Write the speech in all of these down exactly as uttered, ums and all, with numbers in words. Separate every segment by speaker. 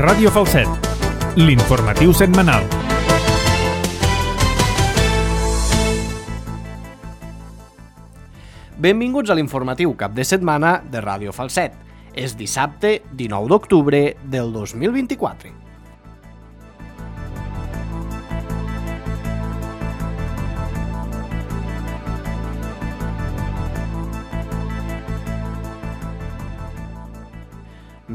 Speaker 1: Ràdio Falset, l'informatiu setmanal.
Speaker 2: Benvinguts a l'informatiu cap de setmana de Ràdio Falset. És dissabte dinou d'octubre del dos mil vint-i-quatre.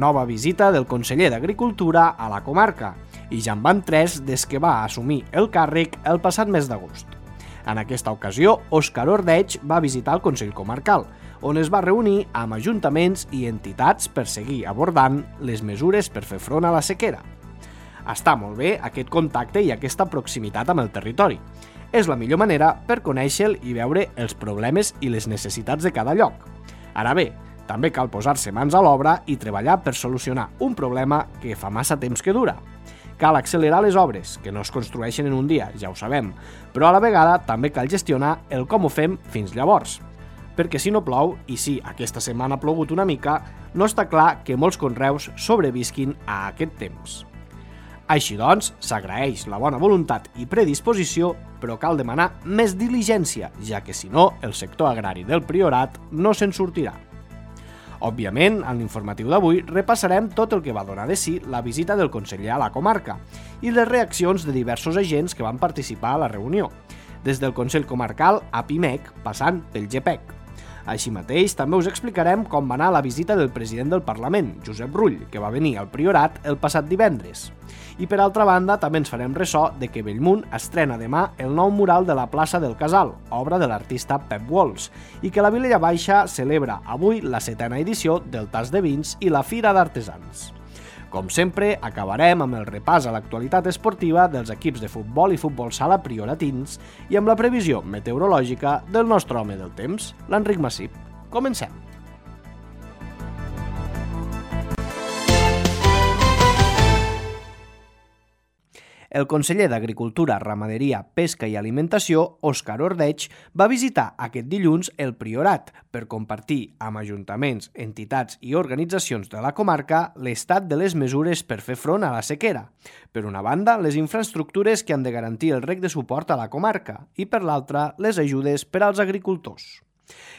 Speaker 2: Nova visita del conseller d'Agricultura a la comarca, i ja en van tres des que va assumir el càrrec el passat mes d'agost. En aquesta ocasió, Òscar Ordeig va visitar el Consell Comarcal, on es va reunir amb ajuntaments i entitats per seguir abordant les mesures per fer front a la sequera. Està molt bé aquest contacte i aquesta proximitat amb el territori. És la millor manera per conèixer i veure els problemes i les necessitats de cada lloc. Ara bé, també cal posar-se mans a l'obra i treballar per solucionar un problema que fa massa temps que dura. Cal accelerar les obres, que no es construeixen en un dia, ja ho sabem, però a la vegada també cal gestionar el com ho fem fins llavors. Perquè si no plou, i si aquesta setmana ha plogut una mica, no està clar que molts conreus sobrevisquin a aquest temps. Així doncs, s'agraeix la bona voluntat i predisposició, però cal demanar més diligència, ja que si no, el sector agrari del Priorat no se'n sortirà. Òbviament, en l'informatiu d'avui repassarem tot el que va donar de si la visita del conseller a la comarca i les reaccions de diversos agents que van participar a la reunió, des del Consell Comarcal a Pimec, passant pel G P E C. Així mateix, també us explicarem com va anar la visita del president del Parlament, Josep Rull, que va venir al Priorat el passat divendres. I per altra banda, també ens farem ressò de que Bellmunt estrena demà el nou mural de la plaça del Casal, obra de l'artista Pep Walls, i que la Vilella Baixa celebra avui la setena edició del Tas de Vins i la Fira d'Artesans. Com sempre, acabarem amb el repàs a l'actualitat esportiva dels equips de futbol i futbol sala prioratins i amb la previsió meteorològica del nostre home del temps, l'Enric Massip. Comencem! El conseller d'Agricultura, Ramaderia, Pesca i Alimentació, Òscar Ordeig, va visitar aquest dilluns el Priorat per compartir amb ajuntaments, entitats i organitzacions de la comarca l'estat de les mesures per fer front a la sequera. Per una banda, les infraestructures que han de garantir el reg de suport a la comarca i, per l'altra, les ajudes per als agricultors.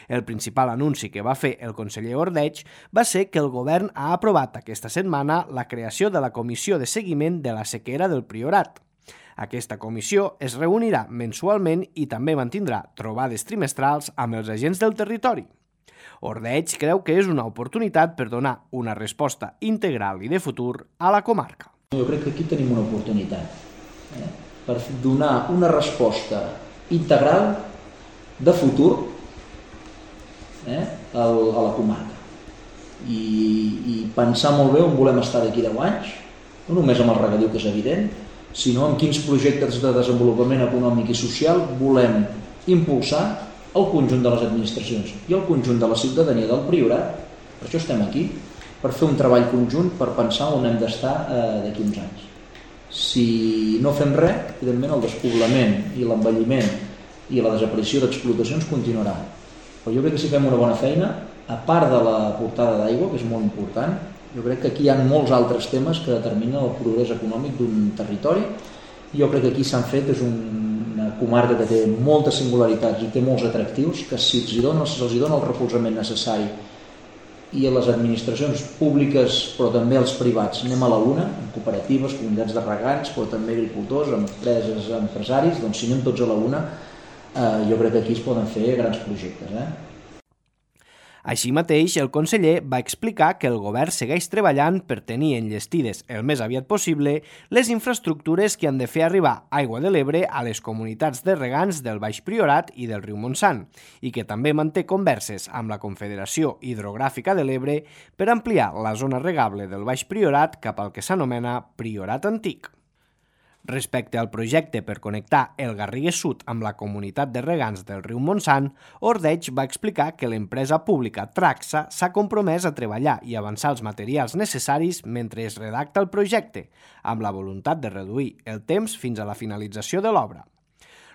Speaker 2: El principal anunci que va fer el conseller Ordeig va ser que el govern ha aprovat aquesta setmana la creació de la Comissió de Seguiment de la Sequera del Priorat. Aquesta comissió es reunirà mensualment i també mantindrà trobades trimestrals amb els agents del territori. Ordeig creu que és una oportunitat per donar una resposta integral i de futur a la comarca.
Speaker 3: Jo crec que aquí tenim una oportunitat eh, per donar una resposta integral de futur Eh, a la comarca I, i pensar molt bé on volem estar d'aquí deu anys, no només amb el regadiu, que és evident, sinó amb quins projectes de desenvolupament econòmic i social volem impulsar el conjunt de les administracions i el conjunt de la ciutadania del Priorat. Per això estem aquí, per fer un treball conjunt, per pensar on hem d'estar eh, d'aquí uns anys. Si no fem res, evidentment el despoblament i l'envelliment i la desaparició d'explotacions continuarà. Però jo crec que si fem una bona feina, a part de la portada d'aigua, que és molt important, jo crec que aquí hi ha molts altres temes que determinen el progrés econòmic d'un territori. Jo crec que aquí s'han fet, és una comarca que té moltes singularitats i té molts atractius, que si els dona, se'ls dona el recolzament necessari i a les administracions públiques, però també als privats, anem a la una, en cooperatives, comunitats de regants, però també agricultors, empreses, empresaris, doncs si anem tots a la una, Uh, jo crec que aquí es poden fer grans projectes. Eh?
Speaker 2: Així mateix, el conseller va explicar que el govern segueix treballant per tenir enllestides el més aviat possible les infraestructures que han de fer arribar aigua de l'Ebre a les comunitats de regants del Baix Priorat i del riu Montsant i que també manté converses amb la Confederació Hidrogràfica de l'Ebre per ampliar la zona regable del Baix Priorat cap al que s'anomena Priorat Antic. Respecte al projecte per connectar el Garrigues Sud amb la comunitat de regants del riu Montsant, Ordeig va explicar que l'empresa pública Traxa s'ha compromès a treballar i avançar els materials necessaris mentre es redacta el projecte, amb la voluntat de reduir el temps fins a la finalització de l'obra.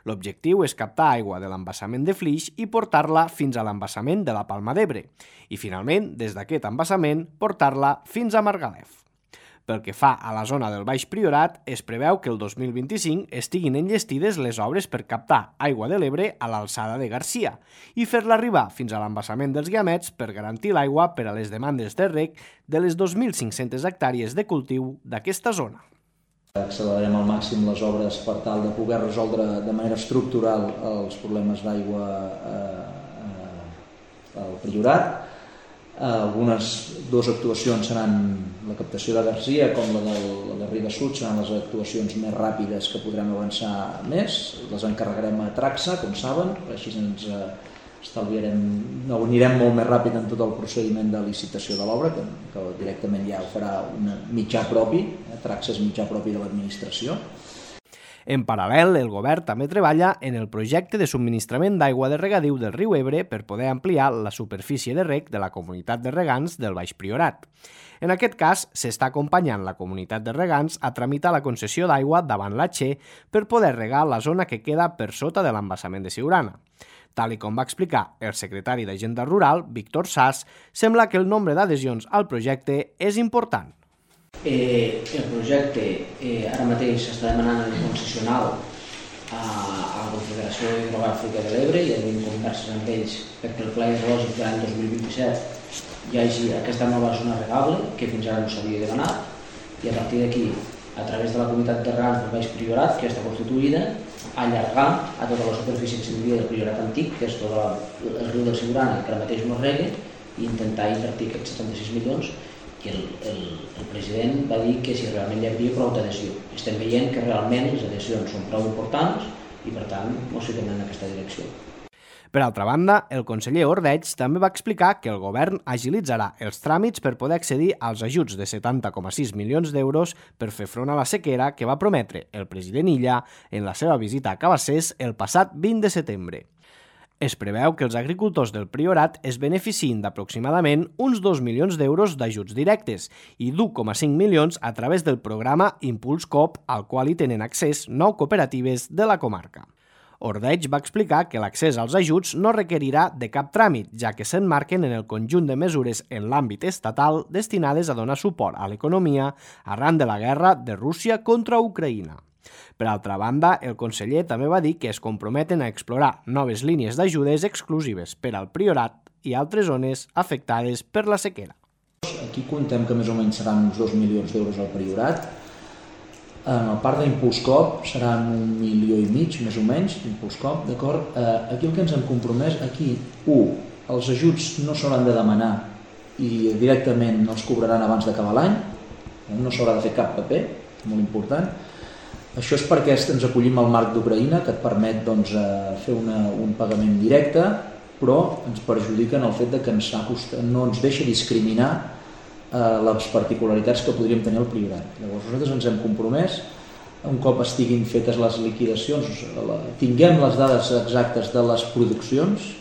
Speaker 2: L'objectiu és captar aigua de l'embassament de Flix i portar-la fins a l'embassament de la Palma d'Ebre i, finalment, des d'aquest embassament, portar-la fins a Margalef. Pel que fa a la zona del Baix Priorat, es preveu que el dos mil vint-i-cinc estiguin enllestides les obres per captar aigua de l'Ebre a l'alçada de Garcia i fer-la arribar fins a l'embassament dels Guiamets per garantir l'aigua per a les demandes de reg de les dos mil cinc-centes hectàrees de cultiu d'aquesta zona.
Speaker 3: Accelerarem al màxim les obres per tal de poder resoldre de manera estructural els problemes d'aigua al Priorat. Algunes dues actuacions seran la captació de Garcia com la de la Garriga Sud, seran les actuacions més ràpides que podrem avançar més. Les encarregarem a Traxa, com saben, així ens estalviarem, no, anirem molt més ràpid en tot el procediment de licitació de l'obra, que, que directament ja ho farà un mitjà propi, eh? Traxa és mitjà propi de l'administració.
Speaker 2: En paral·lel, el govern també treballa en el projecte de subministrament d'aigua de regadiu del riu Ebre per poder ampliar la superfície de reg de la comunitat de regants del Baix Priorat. En aquest cas, s'està acompanyant la comunitat de regants a tramitar la concessió d'aigua davant la Che per poder regar la zona que queda per sota de l'embassament de Siurana. Tal i com va explicar el secretari d'Agenda Rural, Víctor Sas, sembla que el nombre d'adhesions al projecte és important.
Speaker 4: Eh, el projecte eh, ara mateix s'està demanant el concessional a, a la Confederació Hidrogràfica de l'Ebre i hem converses amb ells perquè el pla hidrològic de l'any dos mil vint-i-set hi hagi aquesta nova zona regable que fins ara no s'havia demanat i a partir d'aquí, a través de la comunitat de regants del Baix Priorat, que ja està constituïda, allargar a tota la superfície que s'hauria del Priorat antic, que és tot el riu del Siurana, que ara mateix no rega, i intentar invertir aquests setanta-sis milions. I el, el, el president va dir que si realment hi havia prou d'adhesió. Estem veient que realment les adhesions són prou importants i per tant ens fiquem en aquesta direcció.
Speaker 2: Per altra banda, el conseller Ordeig també va explicar que el govern agilitzarà els tràmits per poder accedir als ajuts de setanta coma sis milions d'euros per fer front a la sequera que va prometre el president Illa en la seva visita a Cabassers el passat vint de setembre. Es preveu que els agricultors del Priorat es beneficien d'aproximadament uns dos milions d'euros d'ajuts directes i d'un coma cinc milions a través del programa Impuls Coop, al qual hi tenen accés nou cooperatives de la comarca. Ordeig va explicar que l'accés als ajuts no requerirà de cap tràmit, ja que s'emmarquen en el conjunt de mesures en l'àmbit estatal destinades a donar suport a l'economia arran de la guerra de Rússia contra Ucraïna. Per altra banda, el conseller també va dir que es comprometen a explorar noves línies d'ajudes exclusives per al Priorat i altres zones afectades per la sequera.
Speaker 3: Aquí contem que més o menys seran uns dos milions d'euros al Priorat. En el part d'Impuls Coop seran un milió i mig, més o menys, Impuls Coop, d'acord? Aquí el que ens hem compromès, aquí, u, els ajuts no s'hauran de demanar i directament els cobraran abans d'acabar l'any, no s'haurà de fer cap paper, molt important. Això és perquè ens acollim al marc d'Ucraïna, que et permet doncs, fer una, un pagament directe, però ens perjudica en el fet de que ens acosta, no ens deixa discriminar eh, les particularitats que podríem tenir al Priorat. Llavors nosaltres ens hem compromès, un cop estiguin fetes les liquidacions, la, tinguem les dades exactes de les produccions,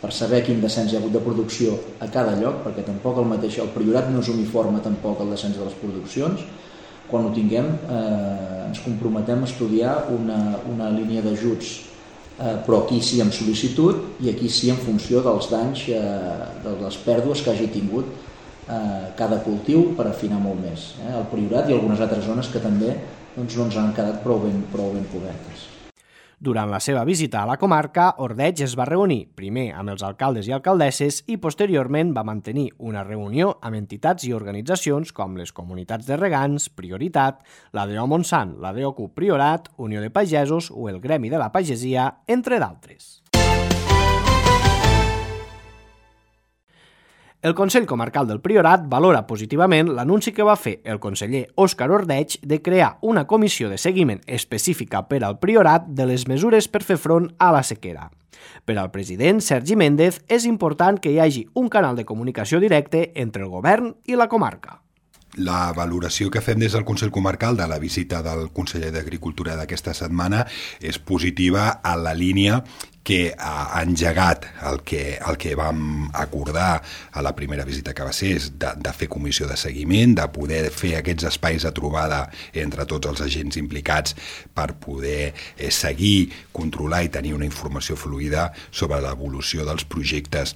Speaker 3: per saber quin descens hi ha hagut de producció a cada lloc, perquè tampoc el mateix, el Priorat no és uniforme tampoc el descens de les produccions. Quan ho tinguem, eh, ens comprometem a estudiar una, una línia d'ajuts, eh, però aquí sí amb sol·licitud i aquí sí en funció dels danys, eh, de les pèrdues que hagi tingut eh, cada cultiu per afinar molt més. Eh, el Priorat i algunes altres zones que també doncs, no ens han quedat prou ben, prou ben cobertes.
Speaker 2: Durant la seva visita a la comarca, Ordeig es va reunir primer amb els alcaldes i alcaldesses i posteriorment va mantenir una reunió amb entitats i organitzacions com les comunitats de regants, Prioritat, la D O Montsant, la D O C U Priorat, Unió de Pagesos o el Gremi de la Pagesia, entre d'altres. El Consell Comarcal del Priorat valora positivament l'anunci que va fer el conseller Òscar Ordeig de crear una comissió de seguiment específica per al Priorat de les mesures per fer front a la sequera. Per al president Sergi Méndez és important que hi hagi un canal de comunicació directe entre el govern i la comarca.
Speaker 5: La valoració que fem des del Consell Comarcal de la visita del conseller d'Agricultura d'aquesta setmana és positiva a la línia que ha engegat el que, el que vam acordar a la primera visita a Cabassers, de, de fer comissió de seguiment, de poder fer aquests espais de trobada entre tots els agents implicats per poder eh, seguir, controlar i tenir una informació fluida sobre l'evolució dels projectes.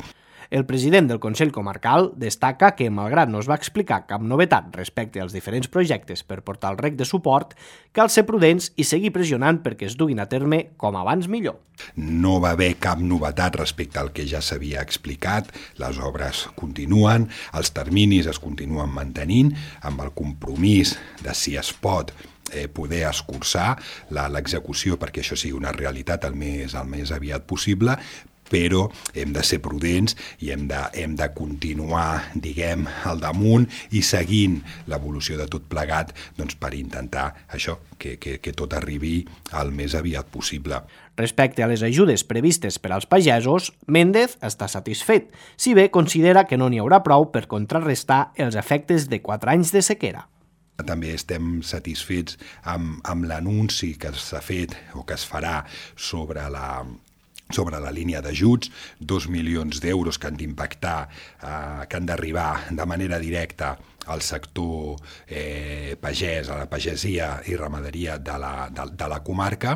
Speaker 2: El president del Consell Comarcal destaca que, malgrat no es va explicar cap novetat respecte als diferents projectes per portar el rec de suport, cal ser prudents i seguir pressionant perquè es duguin a terme com abans millor.
Speaker 5: No va haver cap novetat respecte al que ja s'havia explicat, les obres continuen, els terminis es continuen mantenint, amb el compromís de, si es pot, eh, poder escurçar l'execució perquè això sigui una realitat el més, el més aviat possible, però hem de ser prudents i hem de, hem de continuar, diguem, al damunt i seguint l'evolució de tot plegat doncs, per intentar això, que, que, que tot arribi el més aviat possible.
Speaker 2: Respecte a les ajudes previstes per als pagesos, Méndez està satisfet, si bé considera que no n'hi haurà prou per contrarrestar els efectes de quatre anys de sequera.
Speaker 5: També estem satisfets amb, amb l'anunci que s'ha fet o que es farà sobre la sobre la línia d'ajuts, dos milions d'euros que han d'impactar, eh, que han d'arribar de manera directa al sector eh, pagès, a la pagesia i ramaderia de la, de, de la comarca,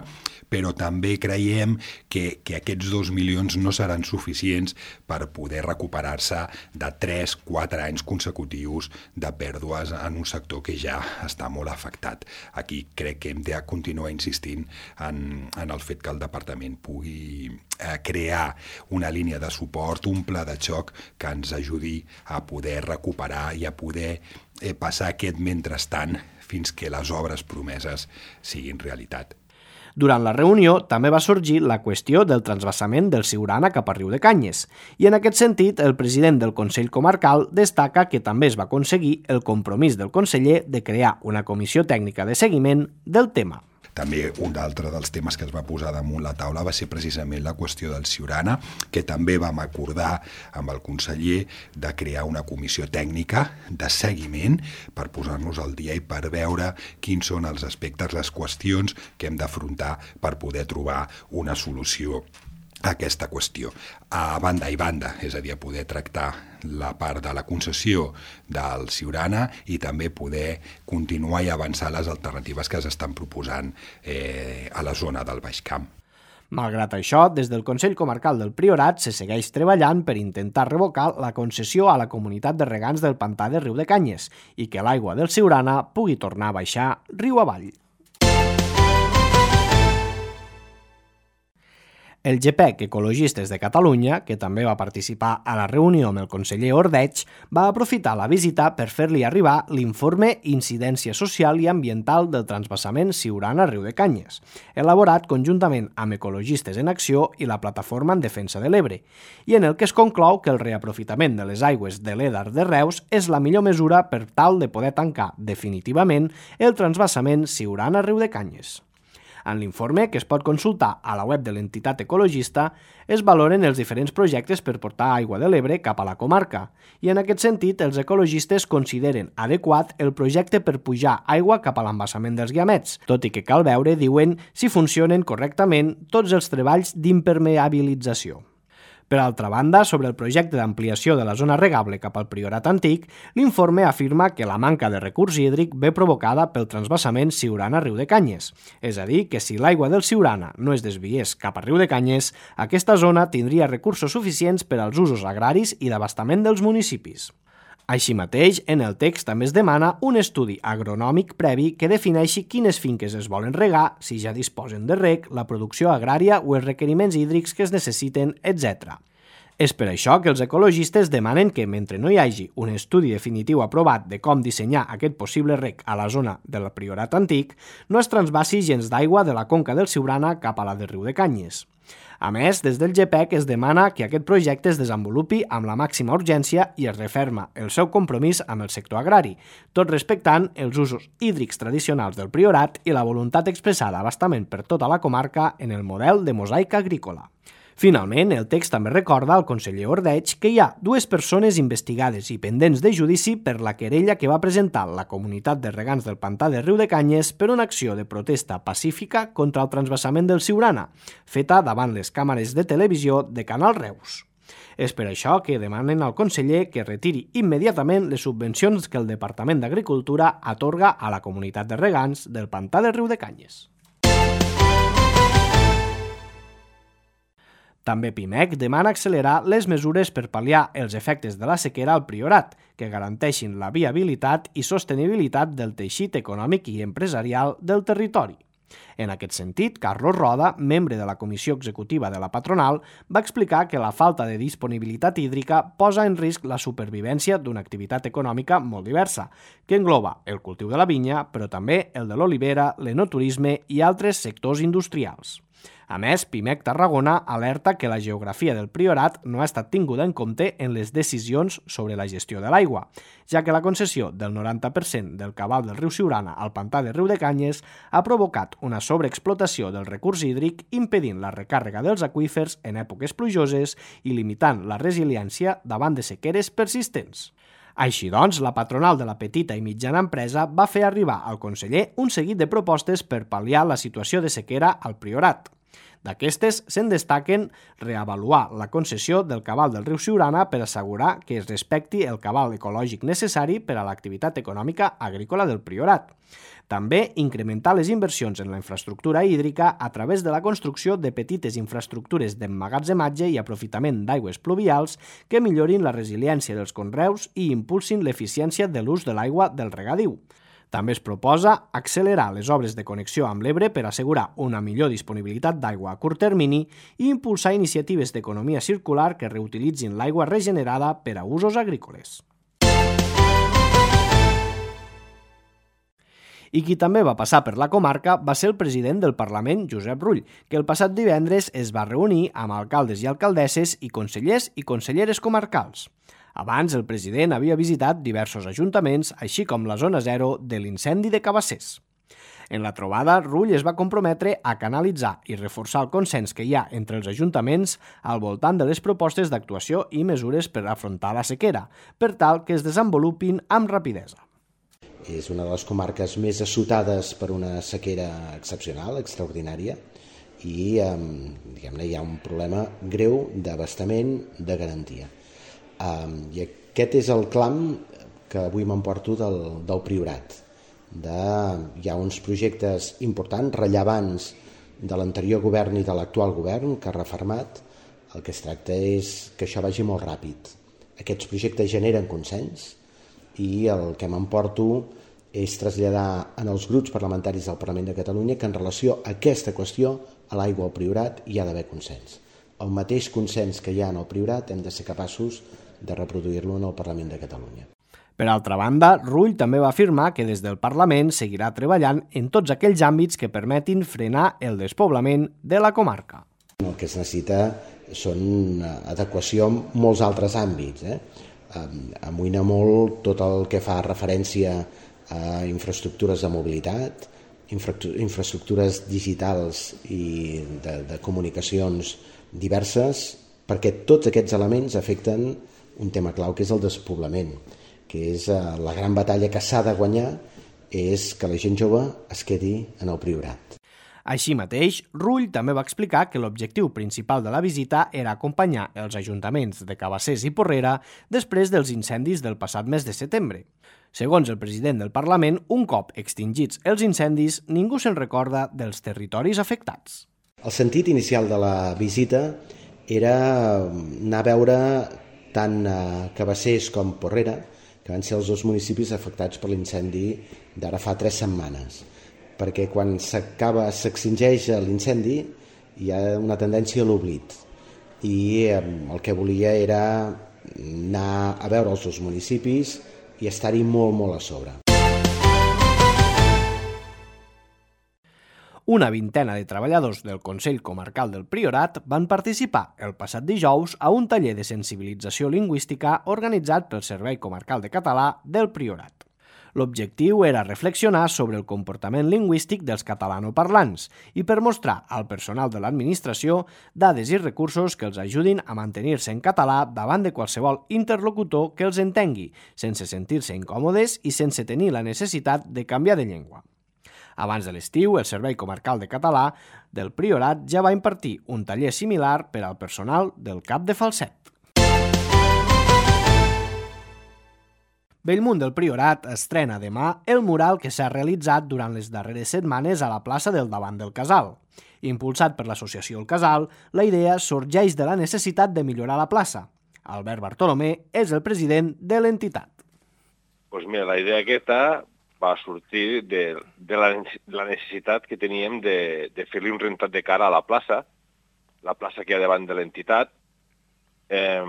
Speaker 5: però també creiem que, que aquests dos milions no seran suficients per poder recuperar-se de tres a quatre anys consecutius de pèrdues en un sector que ja està molt afectat. Aquí crec que hem de continuar insistint en, en el fet que el departament pugui eh, crear una línia de suport, un pla de xoc que ens ajudi a poder recuperar i a poder eh, passar aquest mentrestant fins que les obres promeses siguin realitat.
Speaker 2: Durant la reunió també va sorgir la qüestió del transvasament del Siurana cap a Riu de Canyes i en aquest sentit el president del Consell Comarcal destaca que també es va aconseguir el compromís del conseller de crear una comissió tècnica de seguiment del tema.
Speaker 5: També un altre dels temes que es va posar damunt la taula va ser precisament la qüestió del Siurana, que també vam acordar amb el conseller de crear una comissió tècnica de seguiment per posar-nos al dia i per veure quins són els aspectes, les qüestions que hem d'afrontar per poder trobar una solució a aquesta qüestió. A banda i banda, és a dir, a poder tractar la part de la concessió del Siurana i també poder continuar i avançar les alternatives que s'estan proposant eh, a la zona del Baix Camp.
Speaker 2: Malgrat això, des del Consell Comarcal del Priorat se segueix treballant per intentar revocar la concessió a la comunitat de regants del pantà de Riu de Canyes i que l'aigua del Siurana pugui tornar a baixar riu avall. El G P E C Ecologistes de Catalunya, que també va participar a la reunió amb el conseller Ordeig, va aprofitar la visita per fer-li arribar l'informe Incidència Social i Ambiental del transvasament Siurana-Riu de Canyes, elaborat conjuntament amb Ecologistes en Acció i la Plataforma en Defensa de l'Ebre, i en el que es conclou que el reaprofitament de les aigües de l'Edar de Reus és la millor mesura per tal de poder tancar definitivament el transvasament Siurana-Riu de Canyes. En l'informe, que es pot consultar a la web de l'entitat ecologista, es valoren els diferents projectes per portar aigua de l'Ebre cap a la comarca i en aquest sentit els ecologistes consideren adequat el projecte per pujar aigua cap a l'embassament dels Guiamets, tot i que cal veure, diuen, si funcionen correctament tots els treballs d'impermeabilització. Per altra banda, sobre el projecte d'ampliació de la zona regable cap al Priorat Antic, l'informe afirma que la manca de recurs hídric ve provocada pel transvasament Siurana-Riu de Canyes. És a dir, que si l'aigua del Siurana no es desviés cap a Riu de Canyes, aquesta zona tindria recursos suficients per als usos agraris i d'abastament dels municipis. Així mateix, en el text també es demana un estudi agronòmic previ que defineixi quines finques es volen regar, si ja disposen de reg, la producció agrària o els requeriments hídrics que es necessiten, etcètera. És per això que els ecologistes demanen que, mentre no hi hagi un estudi definitiu aprovat de com dissenyar aquest possible reg a la zona del Priorat Antic, no es transvasi gens d'aigua de la conca del Siurana cap a la de Riu de Canyes. A més, des del G P E C es demana que aquest projecte es desenvolupi amb la màxima urgència i es referma el seu compromís amb el sector agrari, tot respectant els usos hídrics tradicionals del Priorat i la voluntat expressada d'abastament per tota la comarca en el model de mosaic agrícola. Finalment, el text també recorda al conseller Ordeig que hi ha dues persones investigades i pendents de judici per la querella que va presentar la comunitat de regants del pantà de Riu de Canyes per una acció de protesta pacífica contra el transvasament del Siurana, feta davant les càmeres de televisió de Canal Reus. És per això que demanen al conseller que retiri immediatament les subvencions que el Departament d'Agricultura atorga a la comunitat de regants del pantà de Riu de Canyes. També Pimec demana accelerar les mesures per pal·liar els efectes de la sequera al Priorat, que garanteixin la viabilitat i sostenibilitat del teixit econòmic i empresarial del territori. En aquest sentit, Carlos Roda, membre de la comissió executiva de la patronal, va explicar que la falta de disponibilitat hídrica posa en risc la supervivència d'una activitat econòmica molt diversa, que engloba el cultiu de la vinya, però també el de l'olivera, l'enoturisme i altres sectors industrials. A més, Pimec Tarragona alerta que la geografia del Priorat no ha estat tinguda en compte en les decisions sobre la gestió de l'aigua, ja que la concessió del noranta per cent del cabal del riu Siurana al pantà de Riudecanyes ha provocat una sobreexplotació del recurs hídric, impedint la recàrrega dels aqüífers en èpoques plujoses i limitant la resiliència davant de sequeres persistents. Així doncs, la patronal de la petita i mitjana empresa va fer arribar al conseller un seguit de propostes per pal·liar la situació de sequera al Priorat. D'aquestes, se'n destaquen reavaluar la concessió del cabal del riu Siurana per assegurar que es respecti el cabal ecològic necessari per a l'activitat econòmica agrícola del Priorat. També incrementar les inversions en la infraestructura hídrica a través de la construcció de petites infraestructures d'emmagatzematge i aprofitament d'aigües pluvials que millorin la resiliència dels conreus i impulsin l'eficiència de l'ús de l'aigua del regadiu. També es proposa accelerar les obres de connexió amb l'Ebre per assegurar una millor disponibilitat d'aigua a curt termini i impulsar iniciatives d'economia circular que reutilitzin l'aigua regenerada per a usos agrícoles. I qui també va passar per la comarca va ser el president del Parlament, Josep Rull, que el passat divendres es va reunir amb alcaldes i alcaldesses i consellers i conselleres comarcals. Abans, el president havia visitat diversos ajuntaments, així com la zona zero de l'incendi de Cabassers. En la trobada, Rull es va comprometre a canalitzar i reforçar el consens que hi ha entre els ajuntaments al voltant de les propostes d'actuació i mesures per afrontar la sequera, per tal que es desenvolupin amb rapidesa.
Speaker 6: És una de les comarques més assotades per una sequera excepcional, extraordinària, i eh, diguem-ne, hi ha un problema greu d'abastament de garantia. Um, I aquest és el clam que avui m'emporto del, del Priorat. De, hi ha uns projectes importants, rellevants de l'anterior govern i de l'actual govern que ha refermat. El que es tracta és que això vagi molt ràpid. Aquests projectes generen consens i el que m'emporto és traslladar en els grups parlamentaris del Parlament de Catalunya que en relació a aquesta qüestió, a l'aigua al Priorat, hi ha d'haver consens. El mateix consens que hi ha en el Priorat hem de ser capaços de reproduir-lo en el Parlament de Catalunya.
Speaker 2: Per altra banda, Rull també va afirmar que des del Parlament seguirà treballant en tots aquells àmbits que permetin frenar el despoblament de la comarca.
Speaker 6: El que es necessita són adequació en molts altres àmbits. Eh? Amoïna molt tot el que fa referència a infraestructures de mobilitat, infraestructures digitals i de, de comunicacions diverses, perquè tots aquests elements afecten un tema clau que és el despoblament, que és la gran batalla que s'ha de guanyar, és que la gent jove es quedi en el Priorat.
Speaker 2: Així mateix, Rull també va explicar que l'objectiu principal de la visita era acompanyar els ajuntaments de Cabassers i Porrera després dels incendis del passat mes de setembre. Segons el president del Parlament, un cop extingits els incendis, ningú se'n recorda dels territoris afectats.
Speaker 6: El sentit inicial de la visita era anar a veure tant a Cabassers com Porrera, que van ser els dos municipis afectats per l'incendi d'ara fa tres setmanes. Perquè quan s'acaba, s'extingeix l'incendi, hi ha una tendència a l'oblit. I el que volia era anar a veure els dos municipis i estar-hi molt, molt a sobre.
Speaker 2: Una vintena de treballadors del Consell Comarcal del Priorat van participar el passat dijous a un taller de sensibilització lingüística organitzat pel Servei Comarcal de Català del Priorat. L'objectiu era reflexionar sobre el comportament lingüístic dels catalanoparlants i per mostrar al personal de l'administració dades i recursos que els ajudin a mantenir-se en català davant de qualsevol interlocutor que els entengui, sense sentir-se incòmodes i sense tenir la necessitat de canviar de llengua. Abans de l'estiu, el Servei Comarcal de Català del Priorat ja va impartir un taller similar per al personal del Cap de Falset. Bellmunt del Priorat estrena demà el mural que s'ha realitzat durant les darreres setmanes a la plaça del davant del Casal. Impulsat per l'associació El Casal, la idea sorgeix de la necessitat de millorar la plaça. Albert Bartolomé és el president de l'entitat.
Speaker 7: Pues mira, la idea aquesta va sortir de, de, la, de la necessitat que teníem de, de fer-li un rentat de cara a la plaça, la plaça que hi ha davant de l'entitat, eh,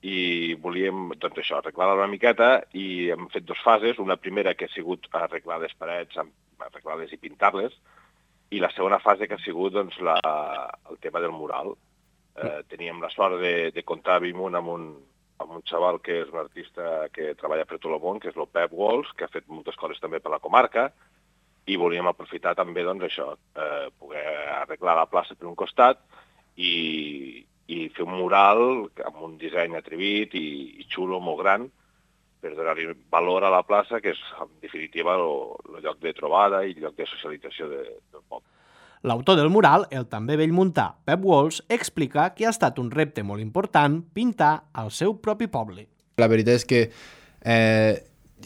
Speaker 7: i volíem, doncs això, arreglar-la una miqueta, i hem fet dues fases. Una primera que ha sigut arreglar les parets, arreglar-les i pintar-les, i la segona fase que ha sigut doncs, la, el tema del mural. Eh, teníem la sort de, de comptar a Bellmunt amb un, amb un xaval que és un artista que treballa per tot el món, que és el Pep Walls, que ha fet moltes coses també per la comarca, i volíem aprofitar també doncs, això, eh, poder arreglar la plaça per un costat i, i fer un mural amb un disseny atrevit i, i xulo, molt gran, per donar-li valor a la plaça, que és, en definitiva, el lloc de trobada i el lloc de socialització de, del poble.
Speaker 2: L'autor del mural, el també bellmuntà Pep Walls, explica que ha estat un repte molt important pintar al seu propi poble.
Speaker 8: La veritat és que eh,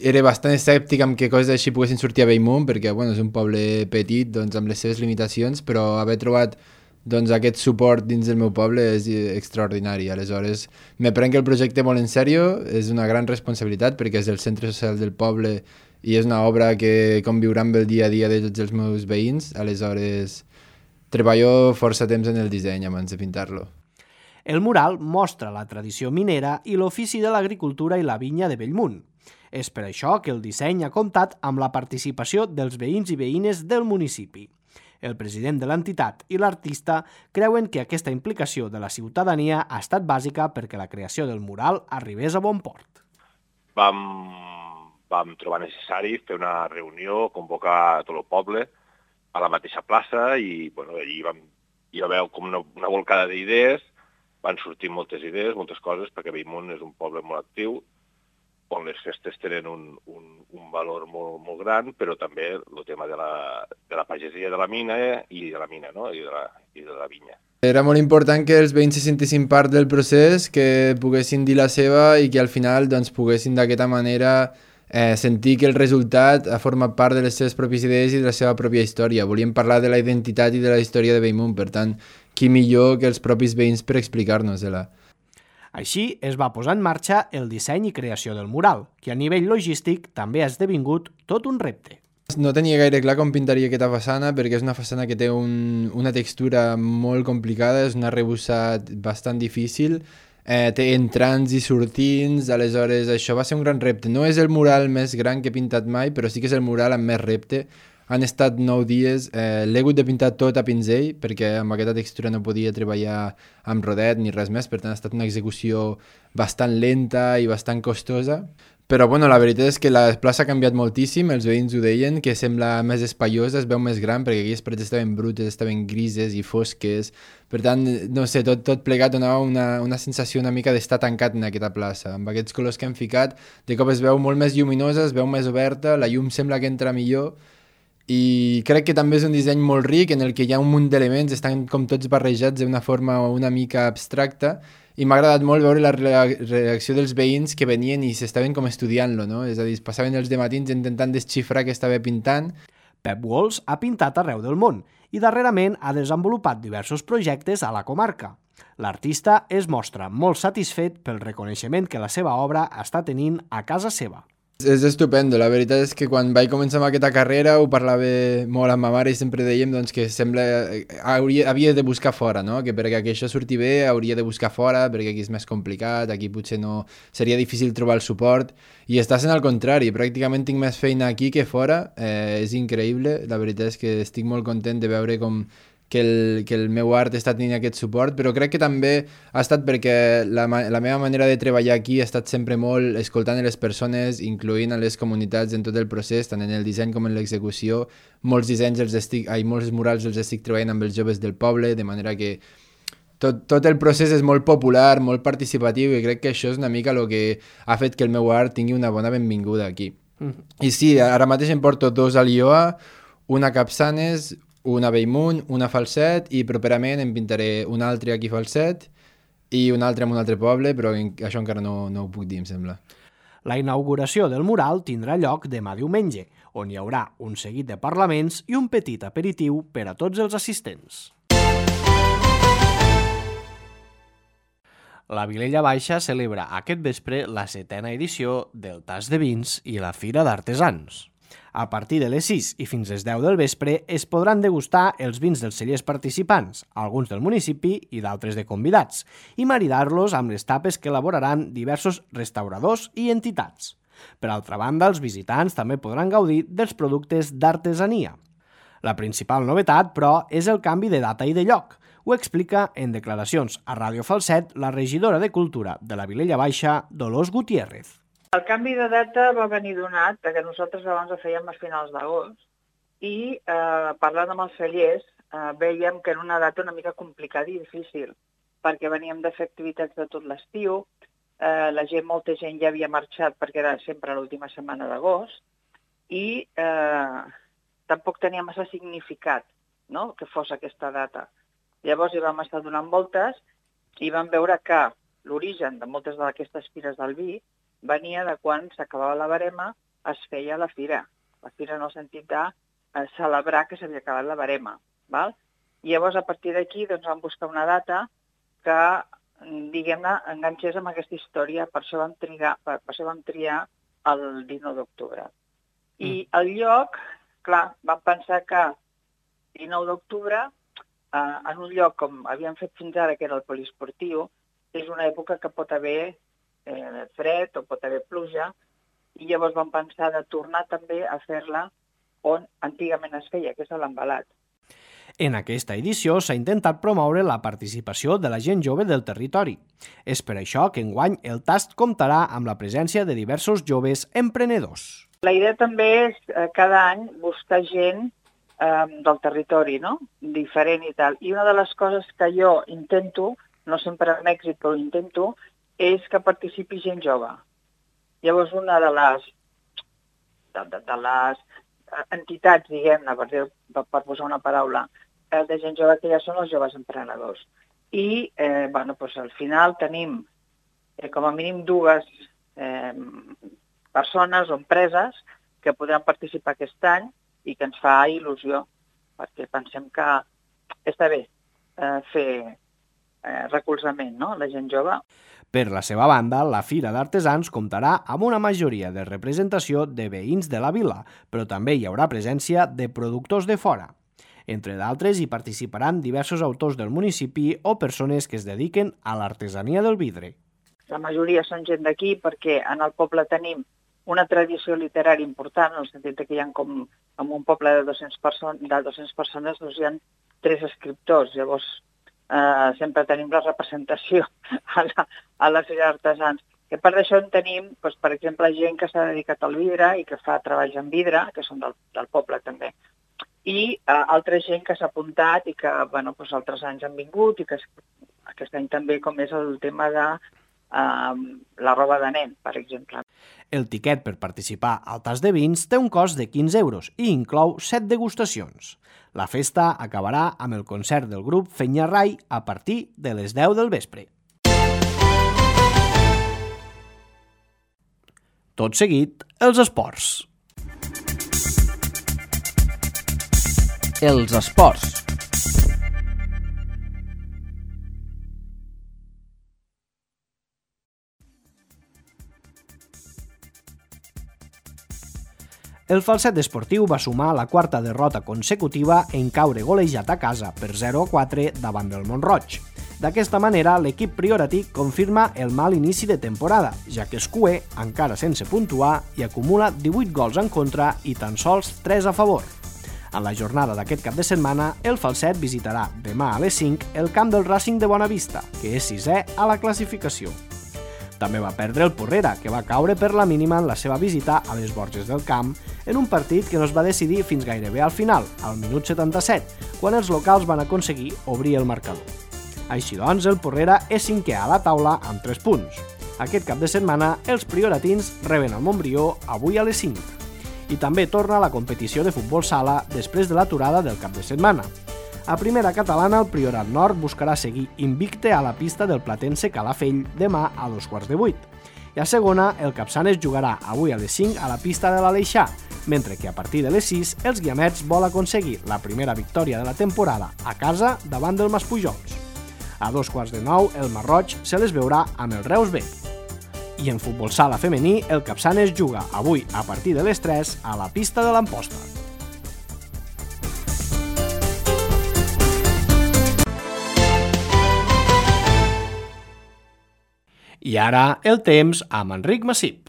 Speaker 8: era bastant escèptic amb que coses així poguessin sortir a Bellmunt, perquè bueno, és un poble petit doncs, amb les seves limitacions, però haver trobat doncs, aquest suport dins del meu poble és extraordinari. Aleshores, me prenc el projecte molt en sèrio, és una gran responsabilitat perquè és el centre social del poble i és una obra que conviurà amb el dia a dia de tots els meus veïns. Aleshores, treballo força temps en el disseny abans de pintar-lo.
Speaker 2: El mural mostra la tradició minera i l'ofici de l'agricultura i la vinya de Bellmunt. És per això que el disseny ha comptat amb la participació dels veïns i veïnes del municipi. El president de l'entitat i l'artista creuen que aquesta implicació de la ciutadania ha estat bàsica perquè la creació del mural arribés a bon port.
Speaker 7: Vam, vam trobar necessari fer una reunió, convocar tot el poble a la mateixa plaça i bueno, allí vam, hi va haver com una, una volcada d'idees, van sortir moltes idees, moltes coses, perquè Bellmunt és un poble molt actiu, on les festes tenen un, un, un valor molt, molt gran, però també el tema de la, de la pagesia de la mina i de la mina, no? I, de la, i de la vinya.
Speaker 8: Era molt important que els veïns se sentessin part del procés, que poguessin dir la seva i que al final doncs, poguessin d'aquesta manera eh, sentir que el resultat ha format part de les seves pròpies idees i de la seva pròpia història. Volíem parlar de la identitat i de la història de Bellmunt, per tant, qui millor que els propis veïns per explicar-nos-la.
Speaker 2: Així es va posar en marxa el disseny i creació del mural, que a nivell logístic també ha esdevingut tot un repte.
Speaker 8: No tenia gaire clar com pintaria aquesta façana perquè és una façana que té un, una textura molt complicada, és un arrebossat bastant difícil, eh, té entrants i sortints, aleshores això va ser un gran repte. No és el mural més gran que he pintat mai, però sí que és el mural amb més repte. Han estat nou dies, eh, l'he hagut de pintar tot a pinzell perquè amb aquesta textura no podia treballar amb rodet ni res més, per tant ha estat una execució bastant lenta i bastant costosa. Però bueno, la veritat és que la plaça ha canviat moltíssim, els veïns ho deien, que sembla més espaiosa, es veu més gran, perquè aquelles parets estaven brutes, estaven grises i fosques. Per tant, no sé, tot, tot plegat donava una, una sensació una mica d'estar tancat en aquesta plaça. Amb aquests colors que hem ficat, de cop es veu molt més lluminosa, es veu més oberta, la llum sembla que entra millor, i crec que també és un disseny molt ric en el que hi ha un munt d'elements, estan com tots barrejats d'una forma una mica abstracta, i m'ha agradat molt veure la reacció dels veïns que venien i s'estaven com estudiant-lo, no? És a dir, passaven els dematins intentant desxifrar què estava pintant.
Speaker 2: Pep Walls ha pintat arreu del món i darrerament ha desenvolupat diversos projectes a la comarca. L'artista es mostra molt satisfet pel reconeixement que la seva obra està tenint a casa seva.
Speaker 8: És estupendo, la veritat és que quan vaig començar amb aquesta carrera ho parlava molt amb ma mare i sempre dèiem doncs, que sembla hauria, havia de buscar fora, no? Que perquè això surti bé hauria de buscar fora perquè aquí és més complicat, aquí potser no seria difícil trobar el suport i està sent al contrari, pràcticament tinc més feina aquí que fora, eh, és increïble, la veritat és que estic molt content de veure com que el, que el meu art està tenint aquest suport, però crec que també ha estat perquè la, la meva manera de treballar aquí ha estat sempre molt escoltant les persones, incloent a les comunitats en tot el procés, tant en el disseny com en l'execució. Molts dissenys els estic, ai, molts murals els estic treballant amb els joves del poble, de manera que tot, tot el procés és molt popular, molt participatiu, i crec que això és una mica el que ha fet que el meu art tingui una bona benvinguda aquí. Mm-hmm. I sí, ara mateix em porto dos a Llioa, una a Capçanes, una a Bellmunt, una a Falset, i properament em pintaré un altre aquí a Falset i un altre en un altre poble, però això encara no, no ho puc dir, em sembla.
Speaker 2: La inauguració del mural tindrà lloc demà diumenge, on hi haurà un seguit de parlaments i un petit aperitiu per a tots els assistents. La Vilella Baixa celebra aquest vespre la setena edició del Tas de Vins i la Fira d'Artesans. A partir de les sis i fins les deu del vespre es podran degustar els vins dels cellers participants, alguns del municipi i d'altres de convidats, i maridar-los amb les tapes que elaboraran diversos restauradors i entitats. Per altra banda, els visitants també podran gaudir dels productes d'artesania. La principal novetat, però, és el canvi de data i de lloc. Ho explica en declaracions a Ràdio Falset la regidora de Cultura de la Vilella Baixa, Dolors Gutiérrez.
Speaker 9: El canvi de data va venir donat que nosaltres abans ho fèiem a finals d'agost i eh, parlant amb els cellers eh, veiem que era una data una mica complicada i difícil perquè veníem de fer activitats de tot l'estiu, eh, la gent, molta gent ja havia marxat perquè era sempre l'última setmana d'agost i eh, tampoc tenia massa significat, no?, que fos aquesta data. Llavors hi vam estar donant voltes i vam veure que l'origen de moltes d'aquestes fires del vi venia de quan s'acabava la barema, es feia la fira. La fira en el sentit de eh, celebrar que s'havia acabat la barema. Val? I llavors, a partir d'aquí, doncs, vam buscar una data que, diguem-ne, enganxés amb aquesta història. Per això vam, trigar, per, per això vam triar el dinou d'octubre. I mm. el lloc, clar, vam pensar que dinou d'octubre, eh, en un lloc com havíem fet fins ara, que era el poliesportiu, és una època que pot haver Eh, fred o pot haver pluja i llavors vam pensar de tornar també a fer-la on antigament es feia, que és a l'Embalat.
Speaker 2: En aquesta edició s'ha intentat promoure la participació de la gent jove del territori. És per això que enguany el tast comptarà amb la presència de diversos joves emprenedors.
Speaker 9: La idea també és eh, cada any buscar gent eh, del territori, no?, diferent i tal. I una de les coses que jo intento, no sempre amb èxit, però intento, és que participi gent jove. Llavors, una de les, de, de, de les entitats, diguem-ne, per, per, per posar una paraula, de gent jove que ja són els joves emprenedors. I, eh, bueno, doncs al final tenim eh, com a mínim dues eh, persones o empreses que podran participar aquest any i que ens fa il·lusió, perquè pensem que està bé eh, fer eh, recolzament, no?, la gent jove.
Speaker 2: Per la seva banda, la Fira d'Artesans comptarà amb una majoria de representació de veïns de la vila, però també hi haurà presència de productors de fora. Entre d'altres, hi participaran diversos autors del municipi o persones que es dediquen a l'artesania del vidre.
Speaker 9: La majoria són gent d'aquí perquè en el poble tenim una tradició literària important, en el sentit que hi ha com en un poble de dues-centes persones, de dues-centes persones doncs hi ha tres escriptors, llavors Uh, sempre tenim la representació a la, a la Fira d'Artesans. Que per això en tenim, doncs, per exemple, gent que s'ha dedicat al vidre i que fa treballs en vidre, que són del, del poble també. I uh, altra gent que s'ha apuntat i que bueno, doncs, altres anys han vingut i que aquest any també, com és el tema de uh, la roba de nen, per exemple.
Speaker 2: El tiquet per participar al tas de vins té un cost de quinze euros i inclou set degustacions. La festa acabarà amb el concert del grup Fenyarrai a partir de les deu del vespre. Tot seguit, els esports. Els esports. El Falset esportiu va sumar la quarta derrota consecutiva en caure golejat a casa per zero a quatre davant del Mont-roig. D'aquesta manera, l'equip prioratí confirma el mal inici de temporada, ja que Escuer, encara sense puntuar, i acumula divuit gols en contra i tan sols tres a favor. En la jornada d'aquest cap de setmana, el Falset visitarà demà a les cinc el camp del Racing de Bonavista, que és sisè a la classificació. També va perdre el Porrera, que va caure per la mínima en la seva visita a les Borges del Camp, en un partit que no es va decidir fins gairebé al final, al minut setanta-set, quan els locals van aconseguir obrir el marcador. Així doncs, el Porrera és cinquè a la taula amb tres punts. Aquest cap de setmana, els prioratins reben el Montbrió avui a les cinc. I també torna la competició de futbol sala després de l'aturada del cap de setmana. A primera catalana, el Priorat Nord buscarà seguir invicte a la pista del Platense Calafell demà a dos quarts de vuit. I a segona, el Capçanes jugarà avui a les cinc a la pista de l'Aleixar, mentre que a partir de les sis els guiamets vol aconseguir la primera victòria de la temporada a casa davant del Maspujols. A dos quarts de nou, el Marroig se les veurà amb el Reus B. I en futbol sala femení, el Capçanes juga avui a partir de les tres a la pista de l'Amposta. I ara el temps amb Enric Massip.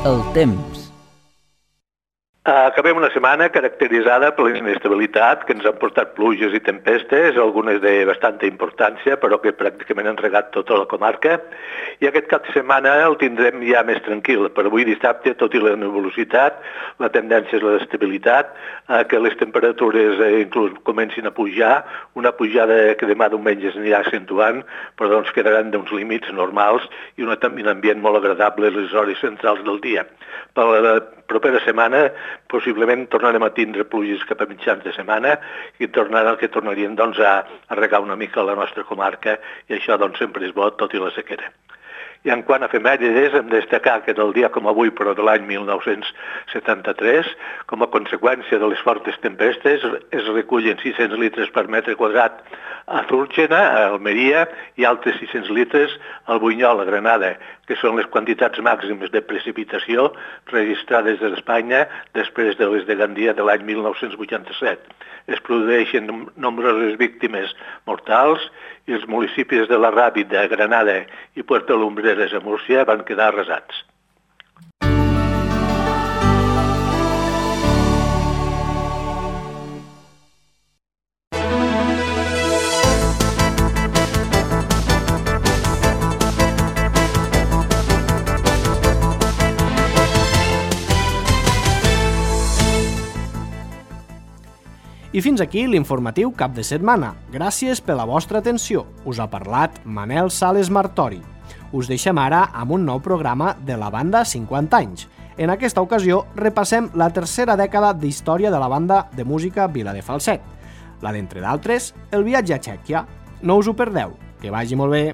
Speaker 10: El temps.
Speaker 11: Acabem una setmana caracteritzada per la inestabilitat que ens han portat pluges i tempestes, algunes de bastanta importància, però que pràcticament han regat tota la comarca. I aquest cap de setmana el tindrem ja més tranquil. Per avui dissabte, tot i la nebulositat, la tendència és l'estabilitat, que les temperatures inclús comencin a pujar, una pujada que demà diumenge s'anirà accentuant, però doncs quedaran d'uns límits normals i un ambient molt agradable a les hores centrals del dia. Per la propera setmana possiblement tornarem a tindre pluges cap a mitjans de setmana i tornaran, que tornarien doncs, a, a regar una mica la nostra comarca i això doncs, sempre és bo, tot i la sequera. I en quant a efemèrides, hem de destacar que del dia com avui, però de l'any mil nou-cents setanta-tres, com a conseqüència de les fortes tempestes, es recullen sis-cents litres per metre quadrat a Zúrgena, a Almeria, i altres sis-cents litres al Bunyol, a Granada, que són les quantitats màximes de precipitació registrades a Espanya després de les de Gandia de l'any mil nou-cents vuitanta-set. Es produeixen nombroses víctimes mortals i els municipis de la Ràbida, Granada i Puerto Lumbreras a Múrcia van quedar arrasats.
Speaker 2: I fins aquí l'informatiu cap de setmana. Gràcies per la vostra atenció. Us ha parlat Manel Sales Martori. Us deixem ara amb un nou programa de la banda cinquanta anys. En aquesta ocasió repassem la tercera dècada d'història de la banda de música Vila de Falset. La d'entre d'altres, el viatge a Txèquia. No us ho perdeu. Que vagi molt bé.